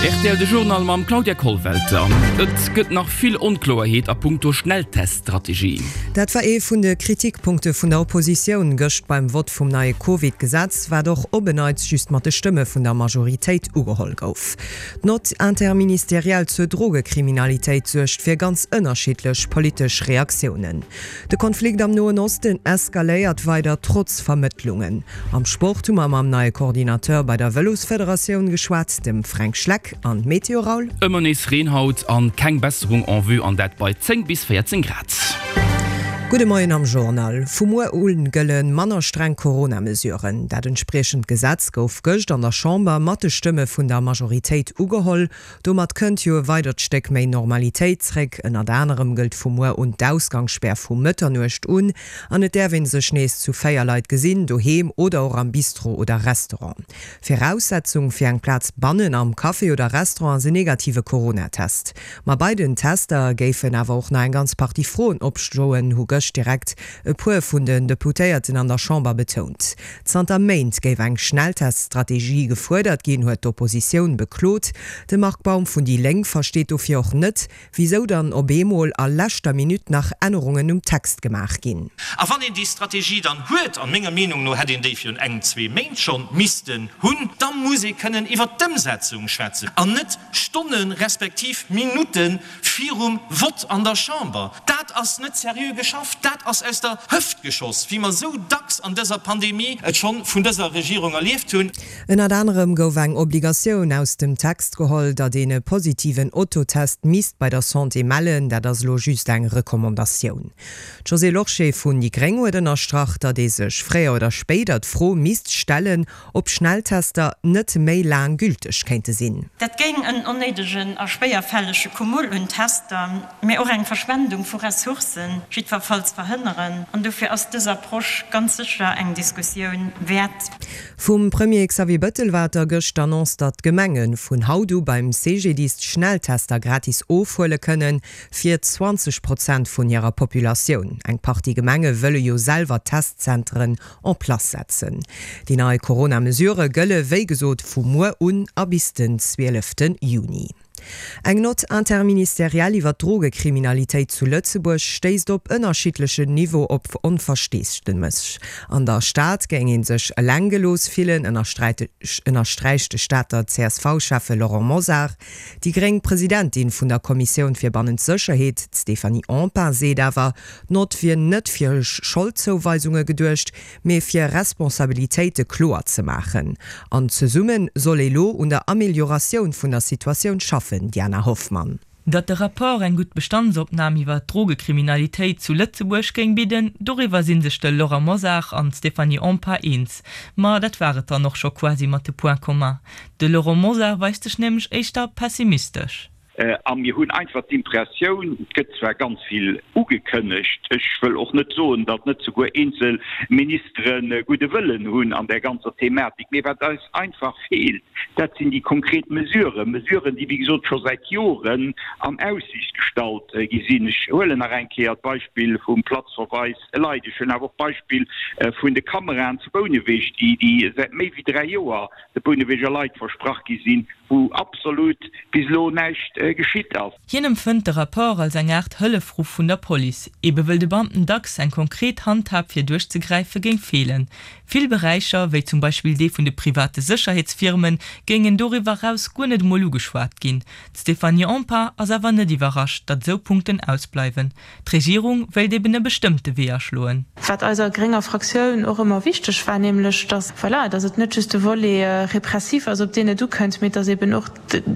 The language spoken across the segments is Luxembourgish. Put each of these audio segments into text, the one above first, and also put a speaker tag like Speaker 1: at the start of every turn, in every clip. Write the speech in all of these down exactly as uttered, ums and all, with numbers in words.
Speaker 1: Rtl de Journal mam Claudia Kollwelter. Et gëtt nach vill Onkloerheet a punkto Schnellteststrategie.
Speaker 2: Dat war ee vun de Kritikpunkte vun der Oppositioun gëscht beim Vott vum neie Covid-Gesetz, wat och op en Neits just mat de Stëmme vun der Majoritéit ugeholl gouf. D'Note interministérielle zur Drogekriminalitéit suergt fir ganz ënnerschiddlech politesch Reaktiounen. De Konflikt am Noen Osten eskaléiert weider trotz Vermëttlungen. Am Sport hu mer mam neie Coordinateur bei der Vëlosfederatioun geschwat, dem Fränk Schleck. An d'Meteo, Raoul?
Speaker 1: Ëmmer nees Reen haut an keng Besserung en vue, an dat bei zéng bis véierzéng Grad.
Speaker 2: Gudde Moien am Journal. Vu muer u gëlle manner streng Corona-Mesuren. Dat entspriechend Gesetz gouf gëscht an der Chamber mat de Stëmme vun der Majoritéit ugeholl. Domat kënnt jo e weidert Stéck méi Normalitéit zréck. Ënnert anerem gëllt vu muer un d'Ausgangsspär vu Mëtternuecht un an et däerf ee sech nees zu véier Leit gesinn, doheem oder och am Bistro oder Restaurant. Viraussetzung fir eng Plaz bannen am Café oder Restaurant ass en negative Coronatest. Ma bei den Tester géifen awer och nach eng ganz Partie Froen opstoen, hu gëscht direkt e puer vun den Deputéierten an der Chamber betount. Zanter Méint géif eng Schnellteststrategie gefuerdert ginn, huet d'Oppositioun beklot. De Marc Baum vun déi Lénk versteet dofir och net, wisou dann op eemol a leschter Minutt nach Ännerungen um Text gemaach ginn.
Speaker 3: A wann een déi Strategie dann huet, an menger Meenung no hätt een déi virun engem, zwee Méint schonn missten hunn, da muss ee kënnen iwwert d'Ëmsetzung schwätzen an net Stonne respektiv Minutte virum Vott an der Chamber. Dat ass net seriö geschafft, dat ass aus der Hëft geschoss, wéi mer esou dacks an dëser Pandemie et schonn vun dëser Regierung erlieft hunn.
Speaker 2: Ënnert anerem gouf eng Obligatioun aus dem Text geholl, datt een e positiven Autotest misst bei der Santé mellen. Dat ass elo just eng Recommandatioun. D'Josée Lorsché vun déi gréng huet ënnerstrach, datt ee sech fréier oder spéider d'Fro misst stellen, ob Schnelltester net méi laang gülteg kéinte sinn.
Speaker 4: Dat géing en onnéidegen a schwéierfällege Cumul un Tester, mä och eng Verschwendung vu Ressourcen jiddwerfalls verhënneren. An dofir ass dës Approche ganz sécher eng Diskussioun wäert.
Speaker 2: Vum Premier Xavier Bëttel war et da gëscht d'Annonce, datt d'Gemenge vun haut u beim C G D I S d'Schnelltester gratis ofhuele kënnen, fir zwanzeg Prozent vun hirer Populatioun. Eng Partie Gemenge wëlle jo selwer Testzenteren en place setzen. Déi nei Corona-Mesurë gëlle wéi gesot vu muer un a bis den zwielefte Juni. Eng Note interministérielle iwwer d'Drogekriminalitéit zu Lëtzebuerg stéisst op ënnerschiddlechen Niveau op Onversteesdemech. An der Stad géing ee sech eleng gelooss fillen, ënnersträicht de Stater C S V-Schäffe Laurent Mosar. Déi gréng Presidentin vun der Kommissioun fir bannent Sécherheet, d'Stéphanie Empain, seet awer, d'Nott wier net fir Scholdzouweisunge geduecht, mee fir Responsabilitéite kloer ze maachen. An zesumme soll ee lo un der Amelioratioun vun der Situatioun schaffen, Diana Hoffmann.
Speaker 5: Datt de Rapport eng gutt Bestandsopnam iwwer d'Drogekriminalitéit zu Lëtzebuerg géing bidden, doriwwer si sech de Laurent Mosar an d'Stéphanie Empain eens. Ma dat war et dann och scho quasi mat de Points communs. De Laurent Mosar weist sech nämlech éischter pessimistesch.
Speaker 6: A mir hunn einfach d'Impressioun, et gëtt zwar ganz vill ugekënnegt, ech wëll och net soen, datt net souguer eenzel Ministere gudde Wëllen hunn an där ganzer Thematik, mee wat eis einfach feelt, dat sinn déi konkret Mesuren, Mesuren, déi wéi gesot scho säit Joren an Aussiicht gestallt gi sinn. Ech huelen nach eng Kéier d'Beispill vum Platzverweis elei. Ech huelen awer och d'Beispill vun de Kameraen zu Bouneweg, déi säit méi wéi dräi Joer de Bouneweger Leit versprach gi sinn, wou absolut bis elo näischt geschitt ass.
Speaker 5: Hien empfënnt de Rapport als eng Aart Hëllefruff vun der Police, ebe wëll de Beamten dacks eng konkret Handhab fir duerchzegräife géing feelen. Vill Beräicher, wéi zum Beispill dee vun de private Sécherheetsfirmen, géingen doriwwer eraus guer net emol ugeschwat ginn. D'Stéphanie Empain ass awer net iwwerrascht, datt esou Punkten ausbleiwen. D'Regierung wéilt eben e bestëmmte Wee aschloen.
Speaker 7: Wat eiser grénger Fraktioun och ëmmer wichteg war, nämlech datt, voilà, datt et net just de Volet répressif ass, op deen et ukënnt, mee datt eben och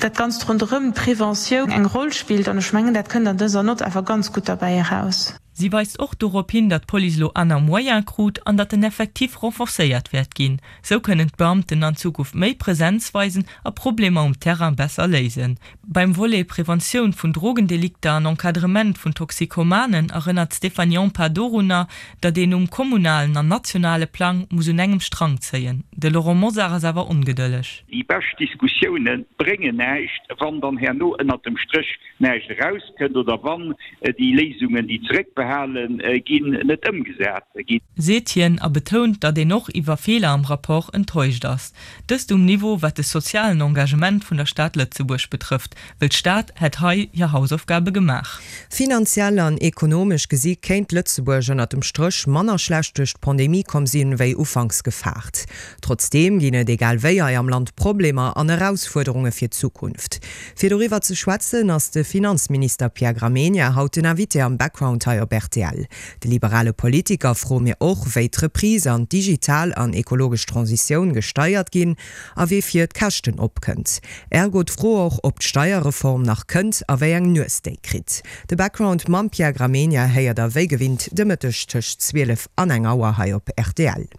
Speaker 7: dat Ganzt ronderëm, d'Preventioun, eng Roll spillt. An ech mengen, dat kënnt an dëser Nott awer ganz gutt derbäi eraus.
Speaker 5: Si weist och dorop hin, datt d'Police elo aner Moyene krut an datt den Effectif renforcéiert wäert ginn. Sou kënnen d'Beamten an Zukunft méi Presenz weisen a Problemer um Terrain besser léisen. Beim Volet Preventioun vun Drogendelikter an Encadrement vun Toxikomanen erënnert d'Stéphanie Empain dorunner, datt een um kommunalen an nationale Plang muss un engem Strang zéien. De Laurent Mosar ass awer ongedëlleg.
Speaker 6: Déi bescht Diskussioune bréngen näischt, wann dann herno ënnert dem Stréch näischt erauskënnt oder wann déi Léisungen, déi zeréckbehale gehale ginn, net ëmgesat ginn.
Speaker 5: Seet hien a betount, datt een och iwwer Feeler am Rapport enttäuscht ass. Dëst um Niveau wat de sozialen Engagement vun der Stad Lëtzebuerg betrëfft, wëll d'Stad hätt hei hir Hausaufgabe gemaach.
Speaker 2: Finanziell an ekonomesch gesi kéint Lëtzebuerg ënnert dem Stréch manner schlecht duerch d'Pandemie komm sinn, wéi ufanks gefaart. Trotzdeem ginn et egal wéi hei am Land Problemer an Erausfuerderunge fir d'Zukunft. Fir doriwwer ze schwätzen, ass de Finanzminister Pierre Gramegna haut den Invité am Background hei op rtl. De liberale Politiker froe mir och, wéi d'Reprise an d'digital an ekologesch Transitioun gesteiert ginn a wee fir d'Käschten opkënnt. Ergo d'Fro och, ob d'Steierreform nach kënnt a wéi eng Nues déi kritt. De Background mam Pierre Gramegna héiert der wéi gewinnt de Mëtteg tëscht zwielef an eng Auer hei op rtl.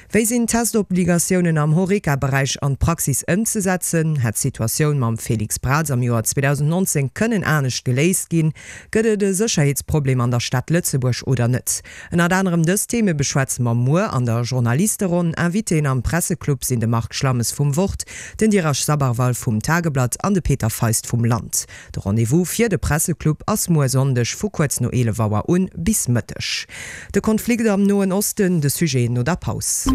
Speaker 2: Wéi sinn d'Testobligatiounen am Horeca-Beräich an d'Praxis ëmzesetzen? Hätt d'Situatioun mam Félix Braz am Joer zweedausendnonzéng kënnen anescht geléist ginn? Gëtt et e Sécherheetsproblem an der Stad Lëtzebuerg oder net? Ënnert anerem dës Theme beschwätze mer muer an der Journalisteronn. Invitéen am Presseclub sinn de Marc Schlammes vum Wort, den Dheeraj Sabharwal vum Tageblatt an de Peter Feist vum Land. De Rendez-vous fir de Presseclub ass muer Sonndeg vu kuerz no eelef Auer un bis Mëtteg. De Konflikt am Noen Osten, de Sujet no der Paus.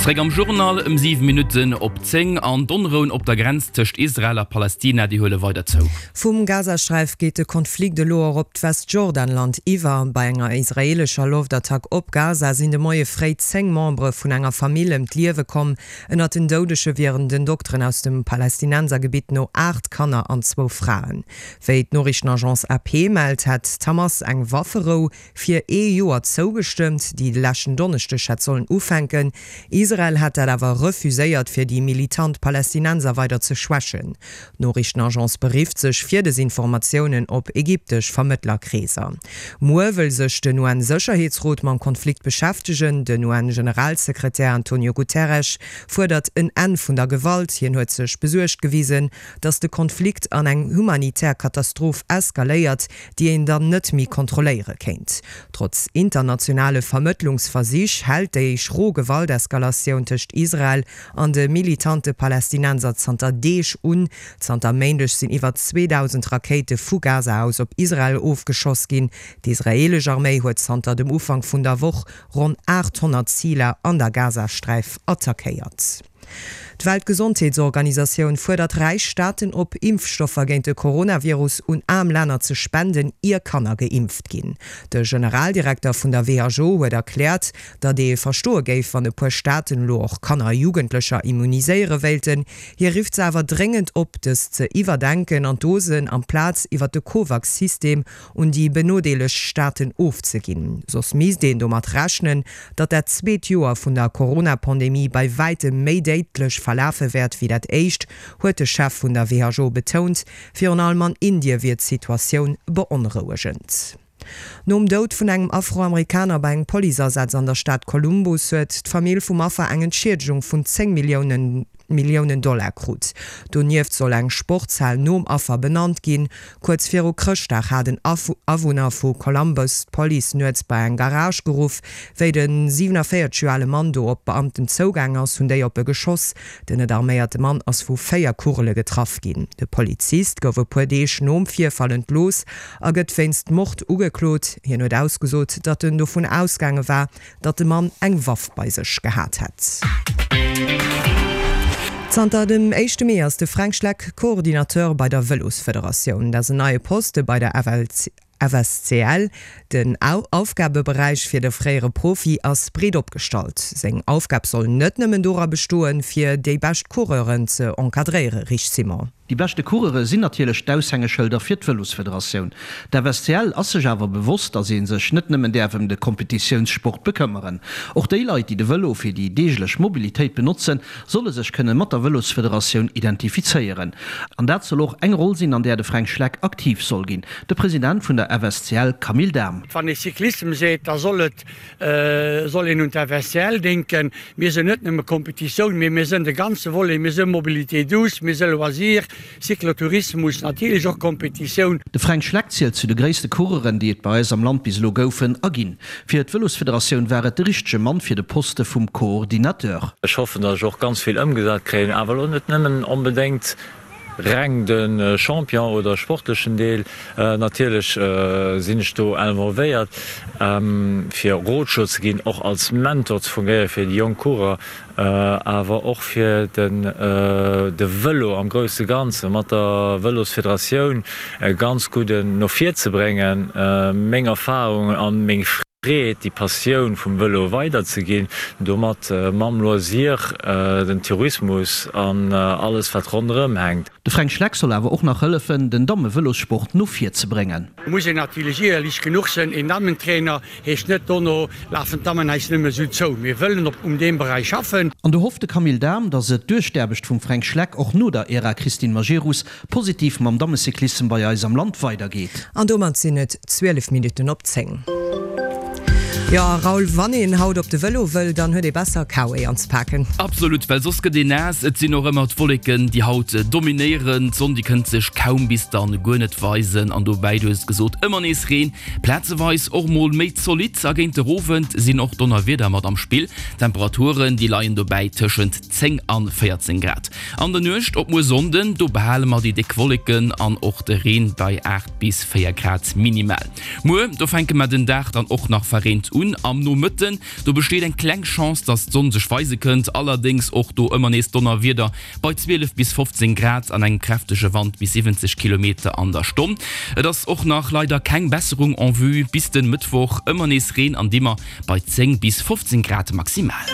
Speaker 1: Zréck am Journal ëm siwe Minutten op zéng. An d'Onrouen op der Grenz tëscht Israel a Palästina, déi huele weider zou.
Speaker 2: Vum Gazasträif geet de Konflikt elo och op d'Westjordanland iwwer. Bei enger israeelescher Loftattack op Gaza sinn de Moie fréi zéng Membere vun enger Famill ëm d'Liewe komm. Ënnert den Doudege wieren den Dokteren aus dem Palästinensergebitt no aacht Kanner an zwou Fraen. Wéi d'Noriichtenagence A P mellt, hätt d'Hamas eng Wafferou fir ee Joer zougestëmmt, déi de leschten Donneschdeg hätt sollen ufänken. Israel hätt dat awer refuséiert, fir déi militant Palästinenser weider ze schwächen. D'Noriichtenagence berifft sech fir des Informatiounen op ägyptesch Vermëttlerkreeser. Muer wëll sech den U N-Sécherheetsrot mam Konflikt beschäftegen. Den U N-Generalsekretär Antonio Guterres fuerdert en Enn vun der Gewalt. Hien huet sech besuergt gewisen, datt de Konflikt an eng humanitär Katastroph eskaléiert, déi een dann net méi kontrolléiere kéint. Trotz internationale Vermëttlungsversich hält déi schro Gewalteskalatioun tëscht Israel an de militante Palästinenser zanter Deeg un. Zanter Méindeg sinn iwwer zweedausend Rakéite vu Gaza aus op Israel ofgeschoss ginn. D'israeelesch Arméi huet zanter dem Ufank vun der Woch ronn aathonnert Ziler an der Gazasträif attackéiert. D'Weltgesondheetsorganisatioun fuerdert räich Staaten op, Impfstoffer géint de Coronavirus un aarm Länner ze spenden, ier Kanner geimpft ginn. De Generaldirekter vun der W H O huet erkläert, datt ee verstoe géif, wann e puer Staaten elo och Kanner a Jugendlecher immuniséiere wéilten. Hie rifft se awer dréngend op, dëst ze iwwerdenken an d'Dosen amplaz iwwer de Covax-System un déi benodeelegt Staaten ofzeginn. Soss misst een domat rechnen, datt dat zweet Joer vun der Corona-Pandemie bei wäitem méi déidlech verlafe wäert wéi dat éischt, huet de Chef vun der W H O betount. Virun allem an Indie wier d'Situatioun beonrouegend. Nom Doud vun engem Afroamerikaner bei engem Policeasaz an der Stad Columbus huet d'Famill vum Affer eng Entschiedegung vun zéng Milliounen Milliounen Dollar krut. Donieft soll eng Sportshal nom Affer benannt ginn. Kuerz viru Chrëschtdag hat en Awunner vu Columbus d'Police nuets bei eng Garage geruff. Wéi de siewenenvéierzeg Joer ale Mann do op d'Beamten zougaang ass, hunn déi op e geschoss. Den net arméierte Mann ass vu véier Kugele getraff ginn. De Polizist gouf e puer Deeg nom Virfall entlooss a gëtt wéinst Mord ugeklot. Hien huet ausgesot, datt en dovun ausgaange war, datt de Mann eng Waff bei sech gehat hätt. Zanter dem éischte Mee ass de Fränk Schleck Coordinateur bei der Vëlosfederatioun. Dat ass en neie Poste bei der F S C L. Den Aufgabeberäich fir de fréiere Profi ass breet opgestallt. Seng Aufgab soll net nëmmen dora bestoen, fir déi bescht Coureuren ze encadréieren, Rich Simon.
Speaker 8: Déi beschte Coureure sinn natierlech d'Aushängeschëlder fir d'Vëlosfederatioun. D'F S C L ass sech awer bewosst, datt ee sech net nëmmen däerf ëm de Kompetitiounssport bekëmmeren. Och déi Leit, déi de Vëlo fir déi deeglech Mobilitéit benotzen, solle sech kënne mat der Vëlosfederatioun identifizéieren. An dat soll och eng Roll sinn, an där de Fränk Schleck aktiv soll ginn. De President vun der F S C L Camille Dahm.
Speaker 9: Wann ee Cyclissem seet, da soll et, soll een un d'F S C L denken. Mir sinn net nëmme Kompetitioun, mee mir sinn de ganze Volet, mir si Mobilité douce, mir si Loisir, Cyclotourismus, natierlech och Kompetitioun.
Speaker 8: De Fränk Schleck zielt zu de gréisste Coureuren, déi et bei eis am Land bis elo goufen a ginn. Fir d'Vëlosfederatioun war et de richtege Mann fir de Poste vum Coordinateur.
Speaker 10: Ech hoffen, datt ech och ganz vill ëmgesat kréien, awer elo net nëmmen onbedéngt reng de Champion oder sportlechen Deel. Natierlech sinn ech do involvéiert, fir Rotschlo ze ginn, och als Mentor ze fungéieren fir déi jonk Coureur, awer och fir de Vëlo am grousse Ganze mat der Vëlosfederatioun ganz gutt no vir ze bréngen, meng Erfarungen an meng Freed, déi Passioun vum Vëlo weiderzeginn, domat mam Loisir, den Tourismus an alles wat ronderëm hänkt.
Speaker 8: De Fränk Schleck soll awer och nach hëllefen, den Damme-Vëlossport no vir ze bréngen.
Speaker 9: Muss een natierlech ierlech genuch sënn, een Dammentrainer heescht net, dono lafen d'Dammen eis nëmme sou zou. Mir wëllen op um deem Beräich schaffen.
Speaker 8: An do hofft de Camille Dahm, datt et duerch d'Aarbecht vum Fränk Schleck och no der Ära Christine Majerus positiv mam Dammecyclissem bei eis am Land weidergeet.
Speaker 2: An domat sinn et zwielef Minutten op zéng. Jo, Raoul, wann een haut op de Vëlo wëll, dann huet ee besser K-Way anzepaken.
Speaker 1: Absolut, well soss gëtt een naass. Et sinn och ëmmer d'Wolleken, déi haut dominéieren. D'Sonn, déi kënnt sech kaum bis dann guer net weisen. An dobäi, du hues et gesot, ëmmer nees Reen, plazeweis och mol méi zolidd. A géint de Owend sinn och Donnerwieder mat am Spill. D'Temperaturen, déi leien dobäi tëschent zéng an véierzéng Grad. An der Nuecht op muer Sonnden, do behale mer déi déck Wolleken an och de Reen bei aacht bis véier Grad minimal. Muer, do fänke mer den Dag dann och nach verreent un. Am Nomëtten, do besteet eng kleng Chance, dass d'Sonn sech weise kënnt, allerdéngs och do ëmmer nees Donnerwieder bei zwielef bis fofzéng Grad an engem kräftege Wand bis siwwenzeg Kilometer an der Stonn. Et ass och nach leider keng Besserung en vue bis den Mëttwoch, ëmmer nees Reen an Dimmer bei zéng bis fofzéng Grad maximal.